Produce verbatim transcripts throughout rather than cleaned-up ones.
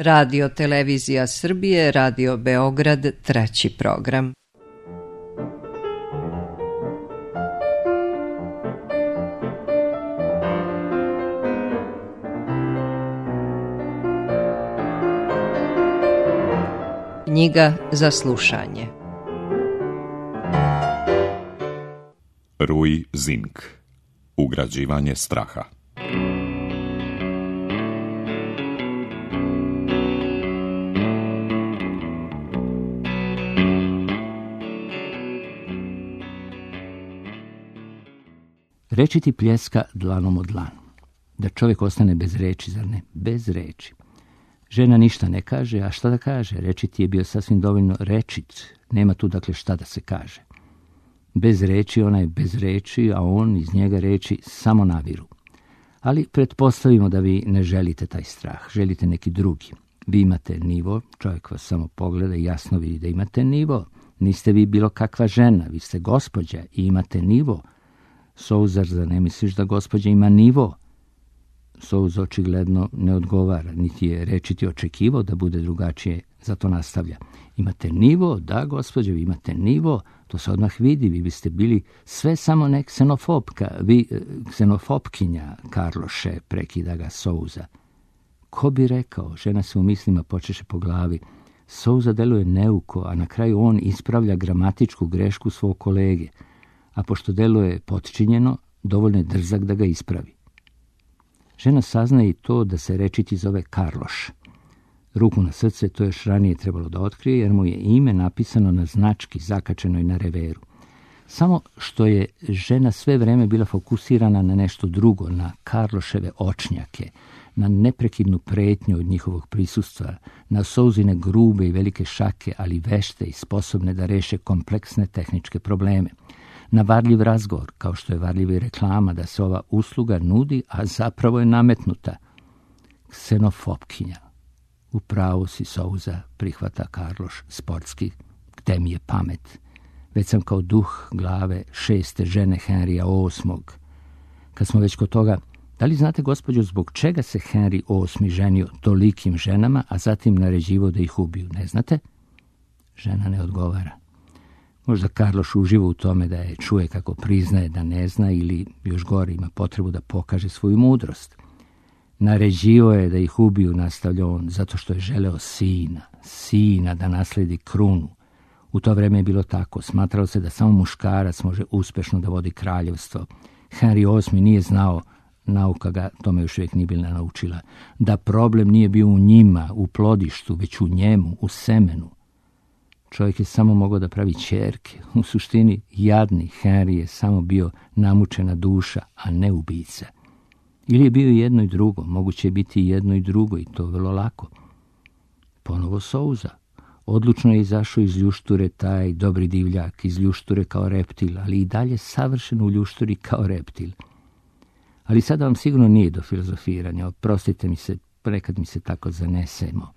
Radio Televizija Srbije, Radio Beograd, treći program. Knjiga za slušanje. Rui Zink. Ugrađivanje straha. Reči ti pljeska dlanom od dlanu. Da čovjek ostane bez reči, zar ne? Bez reči. Žena ništa ne kaže, a šta da kaže? Reči ti je bio sasvim dovoljno rečit. Nema tu dakle šta da se kaže. Bez reči, ona je bez reči, a on iz njega reči samo naviru. Ali pretpostavimo da vi ne želite taj strah, želite neki drugi. Vi imate nivo, čovjek vas samo pogleda i jasno vidi da imate nivo. Niste vi bilo kakva žena, vi ste gospođa i imate nivo. Souzar, za ne misliš da gospođa ima nivo? Souz očigledno ne odgovara, niti je rečiti očekivao da bude drugačije, zato nastavlja. Imate nivo, da gospođo, vi imate nivo, to se odmah vidi, vi biste bili sve samo ne ksenofobka, vi ksenofobkinja, Karloše, prekida ga Souza. Ko bi rekao, žena se u mislima počeše po glavi. Souza deluje neuko, a na kraju on ispravlja gramatičku grešku svog kolege, a pošto deluje potčinjeno, dovoljno je drzak da ga ispravi. Žena saznaje i to da se rečiti zove Karloš. Ruku na srce to još ranije trebalo da otkrije, jer mu je ime napisano na znački zakačenoj na reveru. Samo što je žena sve vreme bila fokusirana na nešto drugo, na Karloševe očnjake, na neprekidnu pretnju od njihovog prisustva, na Souzine grube i velike šake, ali vešte i sposobne da reše kompleksne tehničke probleme. Na varljiv razgovor, kao što je varljiva i reklama da se ova usluga nudi, a zapravo je nametnuta. Ksenofobkinja. U pravu si, Souza, prihvata Karloš sportski. Gde mi je pamet? Već sam kao duh glave šeste žene Henrija osmog. Kad smo već kod toga, da li znate, gospođo, zbog čega se Henri osmi ženio tolikim ženama, a zatim naređivao da ih ubiju? Ne znate? Žena ne odgovara. Možda Karloš uživa u tome da je čuje kako priznaje da ne zna ili, još gore, ima potrebu da pokaže svoju mudrost. Naređivao je da ih ubiju, nastavlja on, zato što je želeo sina, sina da nasledi krunu. U to vreme je bilo tako. Smatralo se da samo muškarac može uspešno da vodi kraljevstvo. Henri osmi nije znao, nauka ga tome još uvijek nije bila naučila, da problem nije bio u njima, u plodištu, već u njemu, u semenu. Čovjek je samo mogao da pravi ćerke. U suštini, jadni Henri je samo bio namučena duša, a ne ubica. Ili je bio jedno i drugo, moguće je biti jedno i drugo i to vrlo lako. Ponovo Souza. Odlučno je izašao iz ljušture taj dobri divljak, iz ljušture kao reptil, ali i dalje savršen u ljušturi kao reptil. Ali sada vam sigurno nije do filozofiranja, oprostite mi se, nekad mi se tako zanesemo.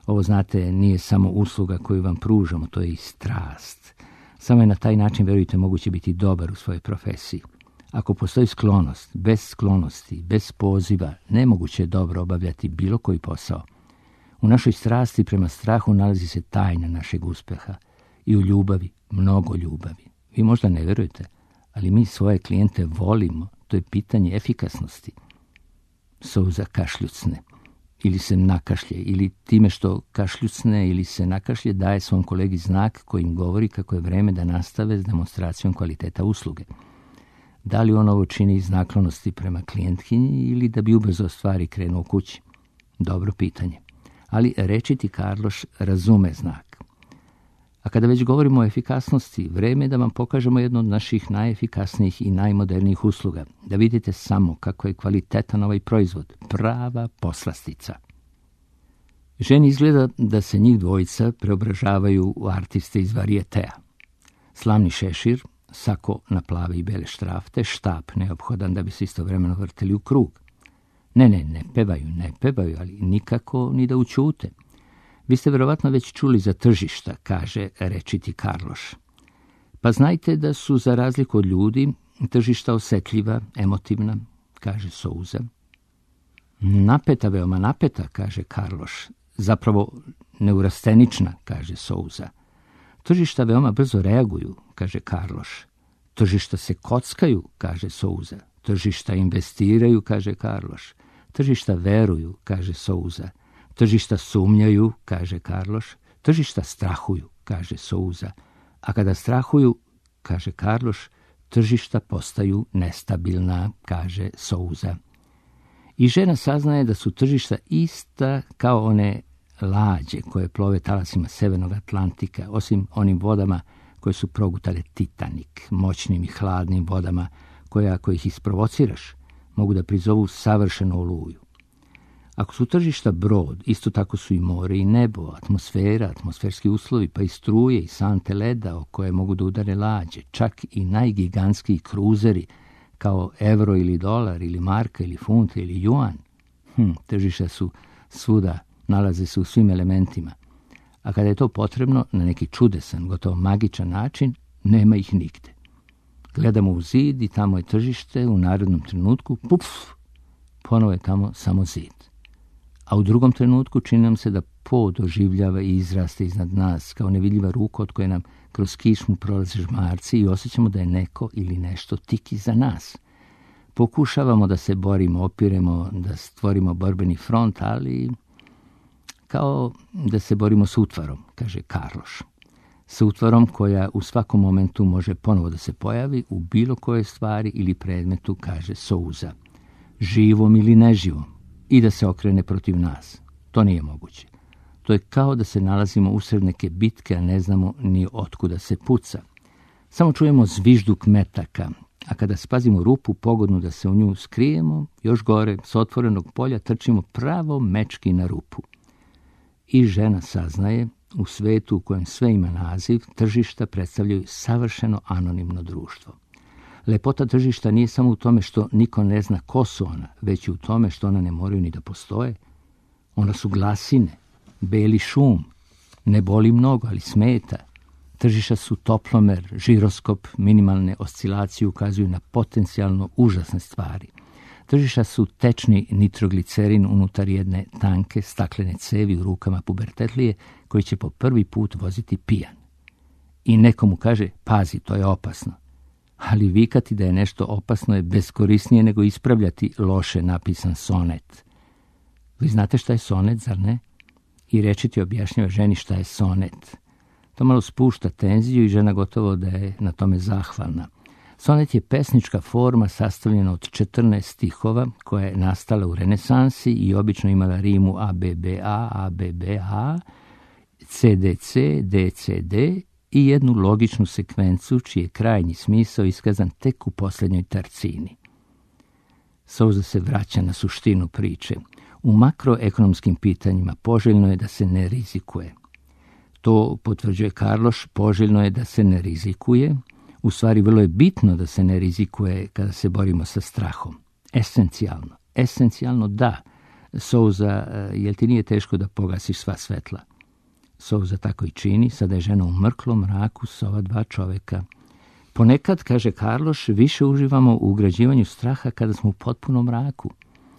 Ovo, znate, nije samo usluga koju vam pružamo, to je i strast. Samo je na taj način, verujte, moguće biti dobar u svojoj profesiji. Ako postoji sklonost, bez sklonosti, bez poziva, nemoguće je dobro obavljati bilo koji posao. U našoj strasti prema strahu nalazi se tajna našeg uspeha. I u ljubavi, mnogo ljubavi. Vi možda ne verujete, ali mi svoje klijente volimo. To je pitanje efikasnosti. Souza kašljucne. Ili se nakašlje, ili time što kašljucne ili se nakašlje daje svom kolegi znak kojim govori kako je vreme da nastave s demonstracijom kvaliteta usluge. Da li on ovo čini iz naklonosti prema klijentkinji ili da bi ubrzo stvari krenuo kući? Dobro pitanje. Ali rečiti Karloš razume znak. A kada već govorimo o efikasnosti, vreme je da vam pokažemo jednu od naših najefikasnijih i najmodernijih usluga. Da vidite samo kako je kvalitetan ovaj proizvod. Prava poslastica. Ženi izgleda da se njih dvojica preobražavaju u artiste iz varijetea. Slavni šešir, sako na plave i bele štrafte, štap neophodan da bi se istovremeno vrteli u krug. Ne, ne, ne pevaju, ne pevaju, ali nikako ni da učute. Vi ste verovatno već čuli za tržišta, kaže rečiti Karloš. Pa znajte da su, za razliku od ljudi, tržišta osetljiva, emotivna, kaže Souza. Napeta, veoma napeta, kaže Karloš. zapravo neurastenična, kaže Souza. Tržišta veoma brzo reaguju, kaže Karloš. Tržišta se kockaju, kaže Souza. Tržišta investiraju, kaže Karloš. Tržišta veruju, kaže Souza. Tržišta sumnjaju, kaže Karloš. Tržišta strahuju, kaže Souza. A kada strahuju, kaže Karloš, tržišta postaju nestabilna, kaže Souza. I žena saznaje da su tržišta ista kao one lađe koje plove talasima Severnog Atlantika, osim onim vodama koje su progutale Titanik, moćnim i hladnim vodama koje, ako ih isprovociraš, mogu da prizovu savršenu oluju. Ako su tržišta brod, isto tako su i more i nebo, atmosfera, atmosferski uslovi, pa i struje i sante leda o koje mogu da udare lađe, čak i najgigantskiji kruzeri kao evro ili dolar ili marka ili funt ili juan. Hm, tržišta su svuda, nalaze se u svim elementima. A kada je to potrebno, na neki čudesan, gotovo magičan način, nema ih nigde. Gledamo u zid i tamo je tržište, u narodnom trenutku, puf, ponovo je tamo samo zid. A u drugom trenutku čini nam se da pod oživljava i izraste iznad nas, kao nevidljiva ruka od koje nam kroz kišmu prolaze žmarci i osjećamo da je neko ili nešto tik iza nas. Pokušavamo da se borimo, opiremo, da stvorimo borbeni front, ali kao da se borimo s utvarom, kaže Karloš. Sa utvarom koja u svakom momentu može ponovo da se pojavi u bilo kojoj stvari ili predmetu, kaže Souza. Živom ili neživom. I da se okrene protiv nas. To nije moguće. To je kao da se nalazimo usred neke bitke, a ne znamo ni otkuda se puca. Samo čujemo zvižduk metaka, a kada spazimo rupu pogodnu da se u nju skrijemo, još gore, s otvorenog polja, trčimo pravo mečki na rupu. I žena saznaje, u svetu u kojem sve ima naziv, tržišta predstavljaju savršeno anonimno društvo. Lepota tržišta nije samo u tome što niko ne zna ko su ona, već i u tome što ona ne moraju ni da postoje. Ona su glasine, beli šum, ne boli mnogo, ali smeta. Tržišta su toplomer, žiroskop, minimalne oscilacije ukazuju na potencijalno užasne stvari. Tržišta su tečni nitroglicerin unutar jedne tanke staklene cevi u rukama pubertetlije koji će po prvi put voziti pijan. I nekomu kaže, pazi, to je opasno. Ali vikati da je nešto opasno je beskorisnije nego ispravljati loše napisan sonet. Vi znate šta je sonet, zar ne? I rečiti objašnjava ženi šta je sonet. To malo spušta tenziju i žena gotovo da je na tome zahvalna. Sonet je pesnička forma sastavljena od četrnaest stihova koja je nastala u renesansi i obično imala rimu A B B A, A B B A, C D C, D C D i jednu logičnu sekvencu čiji je krajnji smisao iskazan tek u posljednjoj tercini. Souza se vraća na suštinu priče. U makroekonomskim pitanjima poželjno je da se ne rizikuje. To potvrđuje Karloš, poželjno je da se ne rizikuje. U stvari, vrlo je bitno da se ne rizikuje kada se borimo sa strahom. Esencijalno. Esencijalno da. Souza, jel ti nije teško da pogasiš sva svetla? Souza tako i čini, sada je žena u mrklom mraku s ova dva čoveka. Ponekad, kaže Karloš, više uživamo u ugrađivanju straha kada smo u potpunom mraku.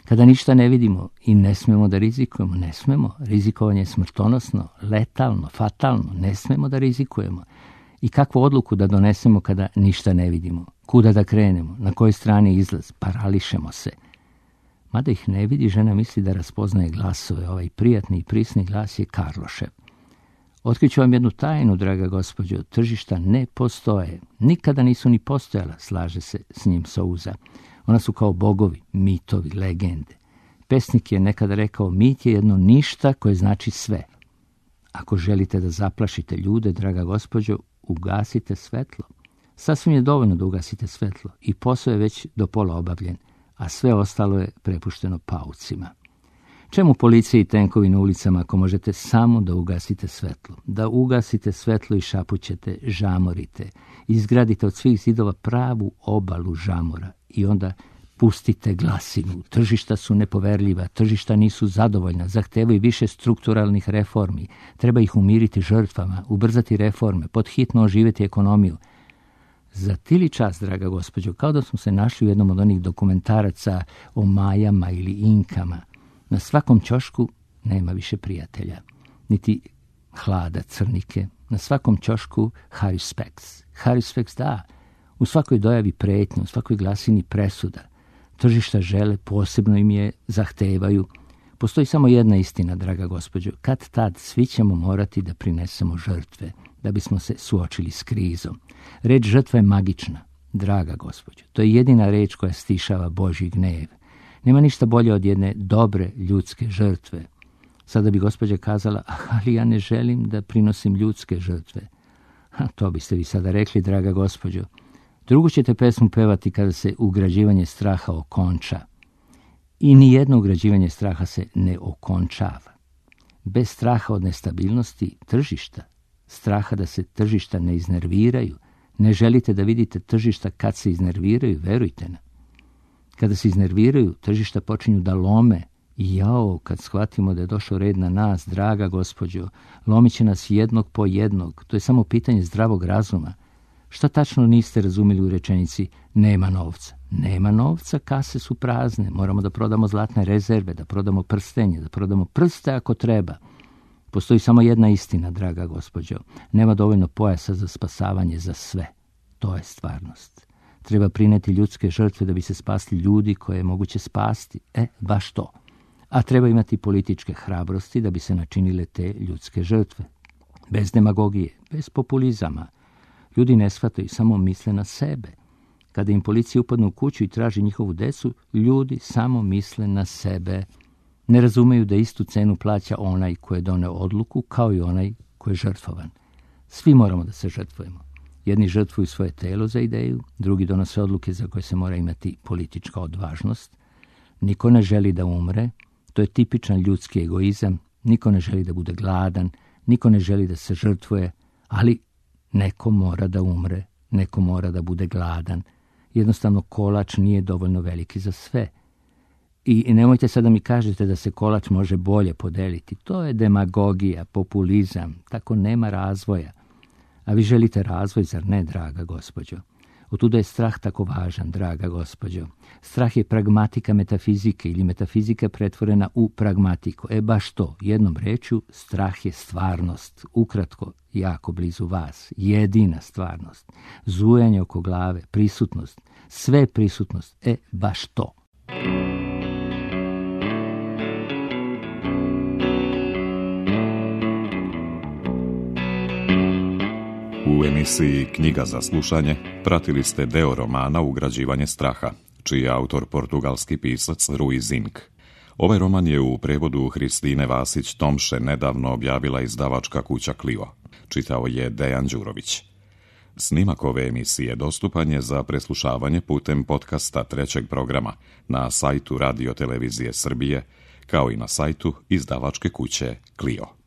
Kada ništa ne vidimo i ne smemo da rizikujemo, ne smemo. Rizikovanje je smrtonosno, letalno, fatalno, ne smemo da rizikujemo. I kakvu odluku da donesemo kada ništa ne vidimo? Kuda da krenemo? Na kojoj strani izlaz? Parališemo se. Mada ih ne vidi, žena misli da raspoznaje glasove. Ovaj prijatni i prisni glas je Karlošev. Otkriću vam jednu tajnu, draga gospođo, tržišta ne postoje. Nikada nisu ni postojala, slaže se s njim Souza. Ona su kao bogovi, mitovi, legende. Pesnik je nekada rekao, mit je jedno ništa koje znači sve. Ako želite da zaplašite ljude, draga gospođo, ugasite svetlo. Sasvim je dovoljno da ugasite svetlo i posao je već do pola obavljen, a sve ostalo je prepušteno paucima. Čemu policija i tenkovi na ulicama ako možete samo da ugasite svetlo? Da ugasite svetlo i šapućete, žamorite. Izgradite od svih zidova pravu obalu žamora i onda pustite glasinu. Tržišta su nepoverljiva, tržišta nisu zadovoljna, zahtevaju više strukturalnih reformi. Treba ih umiriti žrtvama, ubrzati reforme, podhitno oživjeti ekonomiju. Za tili čas, draga gospođo, kao da smo se našli u jednom od onih dokumentaraca o Majama ili Inkama. Na svakom ćošku nema više prijatelja, niti hlada crnike. Na svakom ćošku Harry Spex. Harry Spex, da, u svakoj dojavi pretnje, u svakoj glasini presuda. Tržišta žele, posebno im je zahtevaju. Postoji samo jedna istina, draga gospođo. Kad tad svi ćemo morati da prinesemo žrtve, da bismo se suočili s krizom. Reč žrtva je magična, draga gospođo. To je jedina reč koja stišava Božji gnev. Nema ništa bolje od jedne dobre ljudske žrtve. Sada bi gospođa kazala, ali ja ne želim da prinosim ljudske žrtve. A to biste vi sada rekli, draga gospođo. Drugu ćete pesmu pevati kada se ugrađivanje straha okonča. I nijedno ugrađivanje straha se ne okončava. Bez straha od nestabilnosti tržišta, straha da se tržišta ne iznerviraju, ne želite da vidite tržišta kad se iznerviraju, verujte nam. Kada se iznerviraju, tržišta počinju da lome. I jao, kad shvatimo da je došao red na nas, draga gospođo, lomit će nas jednog po jednog. To je samo pitanje zdravog razuma. Šta tačno niste razumjeli u rečenici nema novca? Nema novca, kase su prazne, moramo da prodamo zlatne rezerve, da prodamo prstenje, da prodamo prste ako treba. Postoji samo jedna istina, draga gospođo. Nema dovoljno pojasa za spasavanje za sve. To je stvarnost. Treba prineti ljudske žrtve da bi se spasli ljudi koje je moguće spasti. E, baš to. A treba imati političke hrabrosti da bi se načinile te ljudske žrtve. Bez demagogije, bez populizama. Ljudi ne shvataju, samo misle na sebe. Kada im policija upadne u kuću i traži njihovu decu, ljudi samo misle na sebe. Ne razumeju da istu cenu plaća onaj ko je doneo odluku kao i onaj ko je žrtvovan. Svi moramo da se žrtvujemo. Jedni žrtvuju svoje telo za ideju, drugi donose odluke za koje se mora imati politička odvažnost. Niko ne želi da umre, to je tipičan ljudski egoizam. Niko ne želi da bude gladan, niko ne želi da se žrtvuje, ali neko mora da umre, neko mora da bude gladan. Jednostavno kolač nije dovoljno veliki za sve. I nemojte sad da mi kažete da se kolač može bolje podeliti. To je demagogija, populizam, tako nema razvoja. A vi želite razvoj, zar ne, draga gospođo? Otuda je strah tako važan, draga gospođo. Strah je pragmatika metafizike ili metafizika pretvorena u pragmatiku. E baš to, jednom rečju, strah je stvarnost. Ukratko, jako blizu vas, jedina stvarnost. Zujanje oko glave, prisutnost, sve prisutnost. E baš to. U emisiji Knjiga za slušanje pratili ste deo romana Ugrađivanje straha, čiji je autor portugalski pisac Rui Zinck. Ovaj roman je u prevodu Hristine Vasić-Tomše nedavno objavila izdavačka kuća Clio. Čitao je Dejan Đurović. Snimak ove emisije dostupan je za preslušavanje putem podcasta trećeg programa na sajtu Radio Televizije Srbije, kao i na sajtu izdavačke kuće Clio.